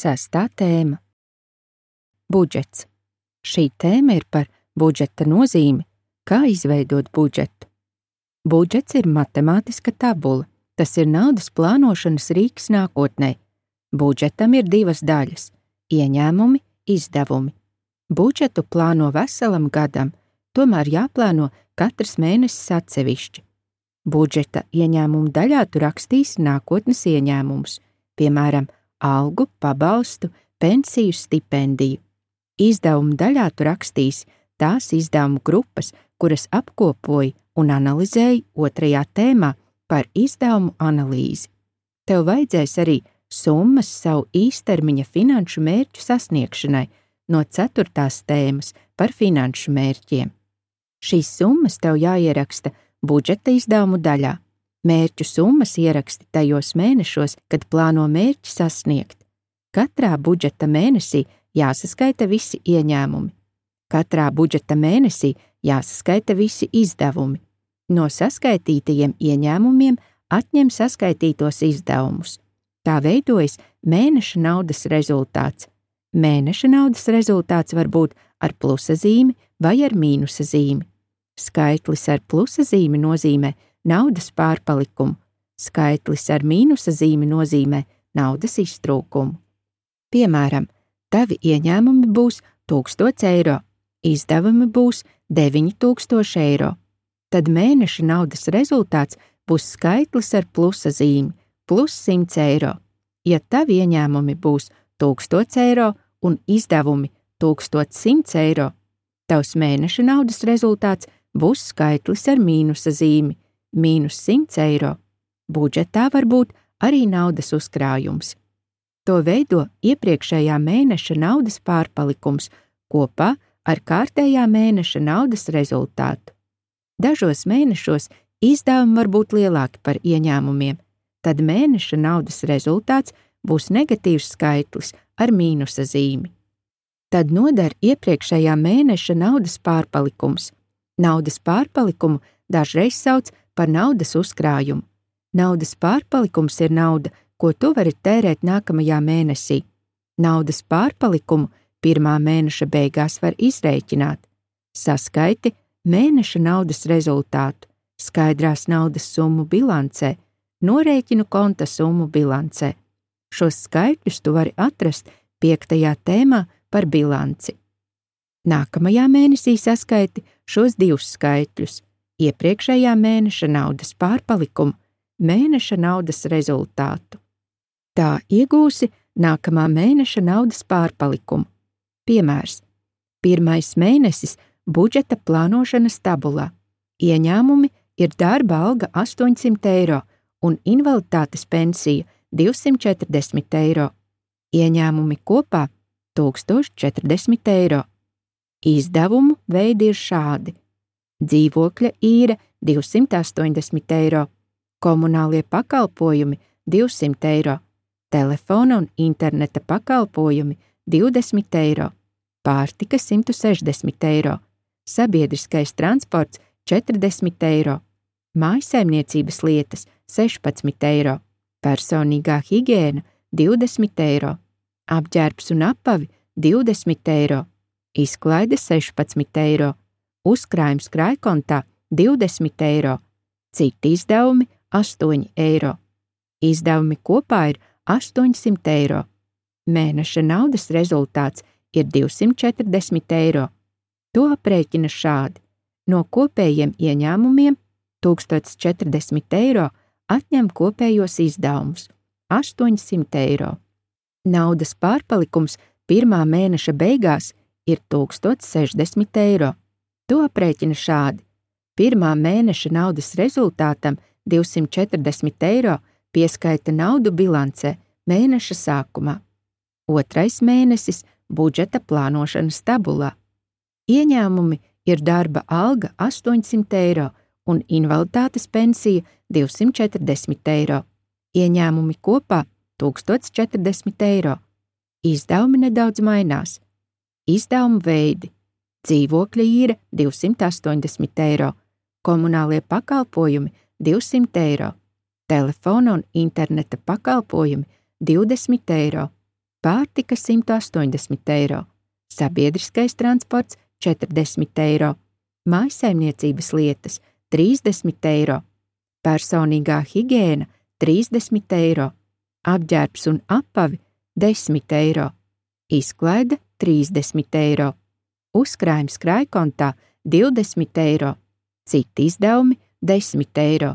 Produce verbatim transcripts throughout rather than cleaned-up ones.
Sestā tēma – budžets. Šī tēma ir par budžeta nozīmi, kā izveidot budžetu. Budžets ir matemātiska tabula, tas ir naudas plānošanas rīks nākotnē. Budžetam ir divas daļas – ieņēmumi, izdevumi. Budžetu plāno veselam gadam, tomēr jāplāno katrs mēnesis atsevišķi. Budžeta ieņēmumu daļā tu rakstīsi nākotnes ieņēmumus, piemēram, algu, pabalstu, pensiju, stipendiju. Izdevumu daļā tu rakstīsi tās izdevumu grupas, kuras apkopoji un analizēji otrajā tēmā par izdevumu analīzi. Tev vajadzēs arī summas savu īstermiņa finanšu mērķu sasniegšanai no ceturtās tēmas par finanšu mērķiem. Šīs summas tev jāieraksta budžeta izdevumu daļā. Mērķu summas ieraksti tajos mēnešos, kad plāno mērķi sasniegt. Katrā budžeta mēnesī jāsaskaita visi ieņēmumi. Katrā budžeta mēnesī jāsaskaita visi izdevumi. No saskaitītajiem ieņēmumiem atņem saskaitītos izdevumus. Tā veidojas mēneša naudas rezultāts. Mēneša naudas rezultāts var būt ar plusa zīmi vai ar mīnusa zīmi. Skaitlis ar plusa zīmi nozīmē naudas pārpalikumu, skaitlis ar mīnusa zīmi nozīmē naudas iztrūkumu. Piemēram, tavi ieņēmumi būs tūkstots eiro, izdevumi būs deviņi tūkstoši eiro. Tad mēneša naudas rezultāts būs skaitlis ar plusa zīmi, plus simts eiro. Ja tavi ieņēmumi būs tūkstots eiro un izdevumi tūkstots simts eiro, tavs mēneša naudas rezultāts būs skaitlis ar mīnusa zīmi, mīnus simts eiro. Budžetā var būt arī naudas uzkrājums. To veido iepriekšējā mēneša naudas pārpalikums kopā ar kārtējā mēneša naudas rezultātu. Dažos mēnešos izdevumi var būt lielāki par ieņēmumiem, tad mēneša naudas rezultāts būs negatīvs skaitlis ar mīnusa zīmi. Tad noder iepriekšējā mēneša naudas pārpalikums. Naudas pārpalikumu dažreiz sauc par naudas uzkrājumu. Naudas pārpalikums ir nauda, ko tu vari tērēt nākamajā mēnesī. Naudas pārpalikumu pirmā mēneša beigās var izrēķināt. Saskaiti mēneša naudas rezultātu, skaidrās naudas summu bilancē, norēķinu konta summu bilancē. Šos skaitļus tu vari atrast piektajā tēmā par bilanci. Nākamajā mēnesī saskaiti šos divus skaitļus – iepriekšējā mēneša naudas pārpalikumu, mēneša naudas rezultātu. Tā iegūsi nākamā mēneša naudas pārpalikumu. Piemērs. Pirmais mēnesis budžeta plānošanas tabulā. Ieņēmumi ir darba alga astoņsimt eiro un invaliditātes pensija divsimt četrdesmit eiro. Ieņēmumi kopā tūkstoš četrdesmit eiro. Izdevumu veidi ir šādi. Dzīvokļa īre divsimt astoņdesmit eiro, komunālie pakalpojumi divsimt eiro, telefona un interneta pakalpojumi divdesmit eiro, pārtika simt sešdesmit eiro, sabiedriskais transports četrdesmit eiro, mājsaimniecības lietas sešpadsmit eiro, personīgā higiēna divdesmit eiro, apģērbs un apavi divdesmit eiro, izklaide sešpadsmit eiro, uzkrājums krājkontā divdesmit eiro, citi izdevumi astoņi eiro. Izdevumi kopā ir astoņsimt eiro. Mēneša naudas rezultāts ir divsimt četrdesmit eiro. To aprēķina šādi. No kopējiem ieņēmumiem tūkstoš četrdesmit eiro atņem kopējos izdevumus astoņsimt eiro. Naudas pārpalikums pirmā mēneša beigās ir tūkstoš sešdesmit eiro. To aprēķina šādi. Pirmā mēneša naudas rezultātam divsimt četrdesmit eiro pieskaita naudu bilancē mēneša sākumā. Otrais mēnesis budžeta plānošanas tabulā. Ieņēmumi ir darba alga astoņsimt eiro un invaliditātes pensija divsimt četrdesmit eiro. Ieņēmumi kopā tūkstoš četrdesmit eiro. Izdevumi nedaudz mainās. Izdevumu veidi. Dzīvokļa īre divsimt astoņdesmit eiro, komunālie pakalpojumi divsimt eiro, telefona un interneta pakalpojumi divdesmit eiro, pārtika simt astoņdesmit eiro, sabiedriskais transports četrdesmit eiro, mājsaimniecības lietas trīsdesmit eiro, personīgā higiēna trīsdesmit eiro, apģērbs un apavi desmit eiro, izklaide trīsdesmit eiro, uzkrājums krājkontā divdesmit eiro, citi izdevumi desmit eiro,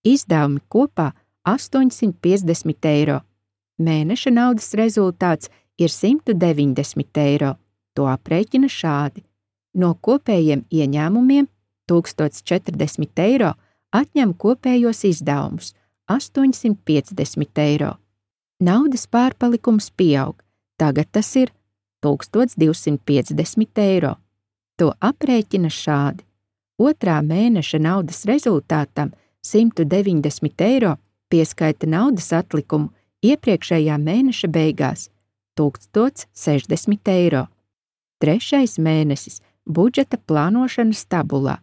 izdevumi kopā astoņsimt piecdesmit eiro, mēneša naudas rezultāts ir simt deviņdesmit eiro, to aprēķina šādi. No kopējiem ieņēmumiem tūkstoš četrdesmit eiro atņem kopējos izdevumus astoņsimt piecdesmit eiro. Naudas pārpalikums pieaug, tagad tas ir tūkstoš divsimt piecdesmit eiro. To aprēķina šādi. Otrā mēneša naudas rezultātam simt deviņdesmit eiro pieskaita naudas atlikumu iepriekšējā mēneša beigās tūkstoš sešdesmit eiro. Trešais mēnesis budžeta plānošanas tabulā.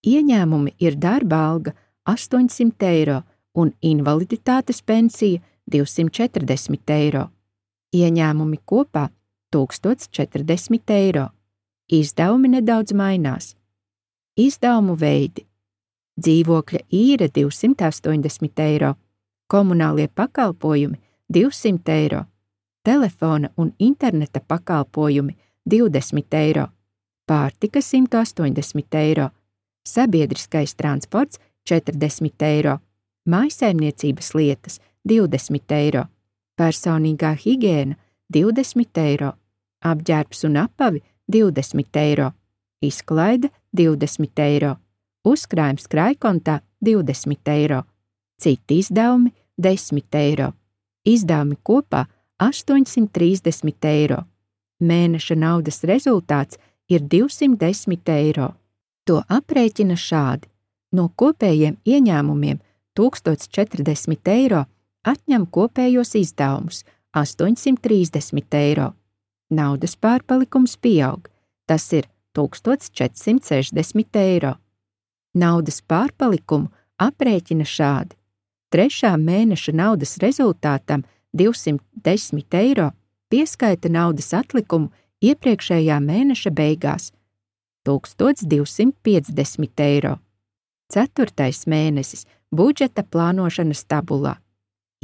Ieņēmumi ir darba alga astoņsimt eiro un invaliditātes pensija divsimt četrdesmit eiro. Ieņēmumi kopā tūkstoš četrdesmit eiro. Izdevumi nedaudz mainās. Izdevumu veidi: dzīvokļa īre divsimt astoņdesmit eiro, komunālie pakalpojumi divsimt eiro, telefona un interneta pakalpojumi divdesmit eiro, pārtika simt astoņdesmit eiro, sabiedriskais transports četrdesmit eiro, mājsaimniecības lietas divdesmit eiro, personīgā higiēna divdesmit eiro, apģērbs un apavi divdesmit eiro, izklaide divdesmit eiro, uzkrājums krājkontā divdesmit eiro, citi izdevumi desmit eiro, izdevumi kopā astoņsimt trīsdesmit eiro, mēneša naudas rezultāts ir divsimt desmit eiro. To aprēķina šādi. No kopējiem ieņēmumiem tūkstoš četrdesmit eiro atņem kopējos izdevumus astoņsimt trīsdesmit eiro. Naudas pārpalikums pieaug, tas ir tūkstoš četrsimt sešdesmit eiro. Naudas pārpalikumu aprēķina šādi. Trešā mēneša naudas rezultātam divsimt desmit eiro pieskaita naudas atlikumu iepriekšējā mēneša beigās tūkstoš divsimt piecdesmit eiro. Ceturtais mēnesis budžeta plānošanas tabulā.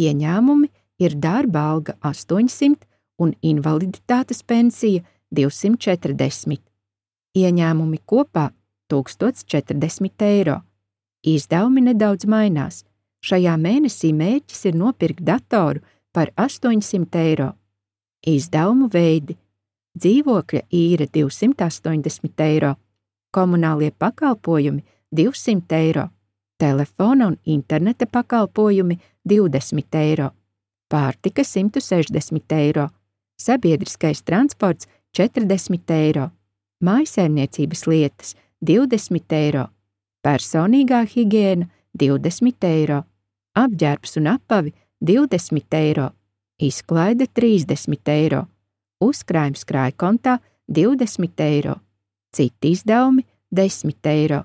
Ieņēmumi ir darba alga astoņsimt un invaliditātes pensija divsimt četrdesmit. Ieņēmumi kopā tūkstoš četrdesmit eiro. Izdevumi nedaudz mainās. Šajā mēnesī mērķis ir nopirkt datoru par astoņsimt eiro. Izdevumu veidi: dzīvokļa īre divsimt astoņdesmit eiro, komunālie pakalpojumi divsimt eiro, telefona un interneta pakalpojumi divdesmit eiro, pārtika simt sešdesmit eiro, sabiedriskais transports četrdesmit eiro, mājsaimniecības lietas divdesmit eiro, personīgā higiēna divdesmit eiro, apģērbs un apavi divdesmit eiro, izklaide trīsdesmit eiro, uzkrājums krājkontā divdesmit eiro, citi izdevumi desmit eiro,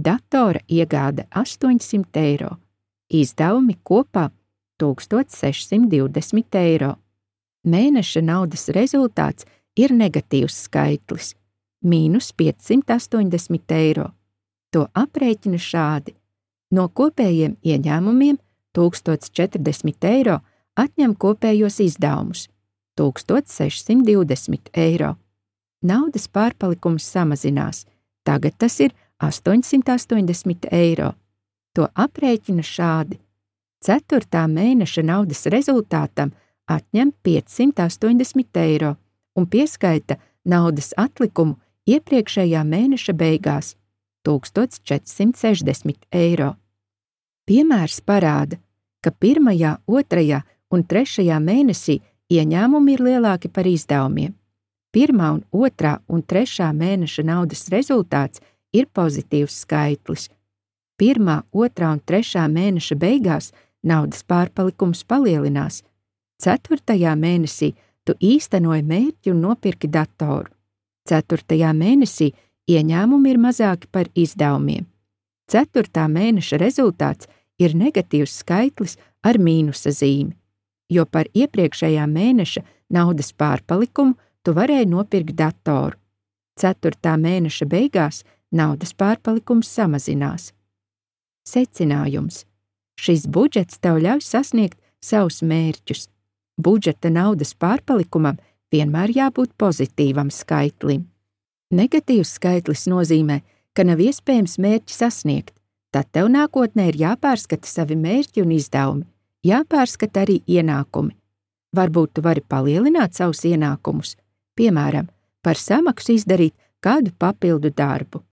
datora iegāde astoņsimt eiro, izdevumi kopā tūkstoš sešsimt divdesmit eiro. Mēneša naudas rezultāts ir negatīvs skaitlis – mīnus piecsimt astoņdesmit eiro. To aprēķina šādi. No kopējiem ieņēmumiem tūkstoš četrdesmit eiro atņem kopējos izdevumus tūkstoš sešsimt divdesmit eiro. Naudas pārpalikums samazinās, tagad tas ir astoņsimt astoņdesmit eiro. To aprēķina šādi. Ceturtā mēneša naudas rezultātam atņem piecsimt astoņdesmit eiro un pieskaita naudas atlikumu iepriekšējā mēneša beigās tūkstoš četrsimt sešdesmit eiro. Piemērs parāda, ka pirmajā, otrajā un trešajā mēnesī ieņēmumi ir lielāki par izdevumiem. Pirmā un otrā un trešā mēneša naudas rezultāts ir pozitīvs skaitlis. Pirmā, otrā un trešā mēneša beigās naudas pārpalikums palielinās. Ceturtajā mēnesī tu īstenoji mērķi un nopirki datoru. Ceturtajā mēnesī ieņēmumi ir mazāki par izdevumiem. Ceturtā mēneša rezultāts ir negatīvs skaitlis ar mīnusa zīmi. jo par iepriekšējā mēneša naudas pārpalikumu tu varēji nopirkt datoru. Ceturtā mēneša beigās naudas pārpalikums samazinās. Secinājums. Šis budžets tev ļauj sasniegt savus mērķus. Budžeta naudas pārpalikumam vienmēr jābūt pozitīvam skaitlim. Negatīvs skaitlis nozīmē, ka nav iespējams mērķi sasniegt, tad tev nākotnē ir jāpārskata savi mērķi un izdevumi, jāpārskata arī ienākumi. Varbūt tu vari palielināt savus ienākumus, piemēram, par samaksu izdarīt kādu papildu darbu.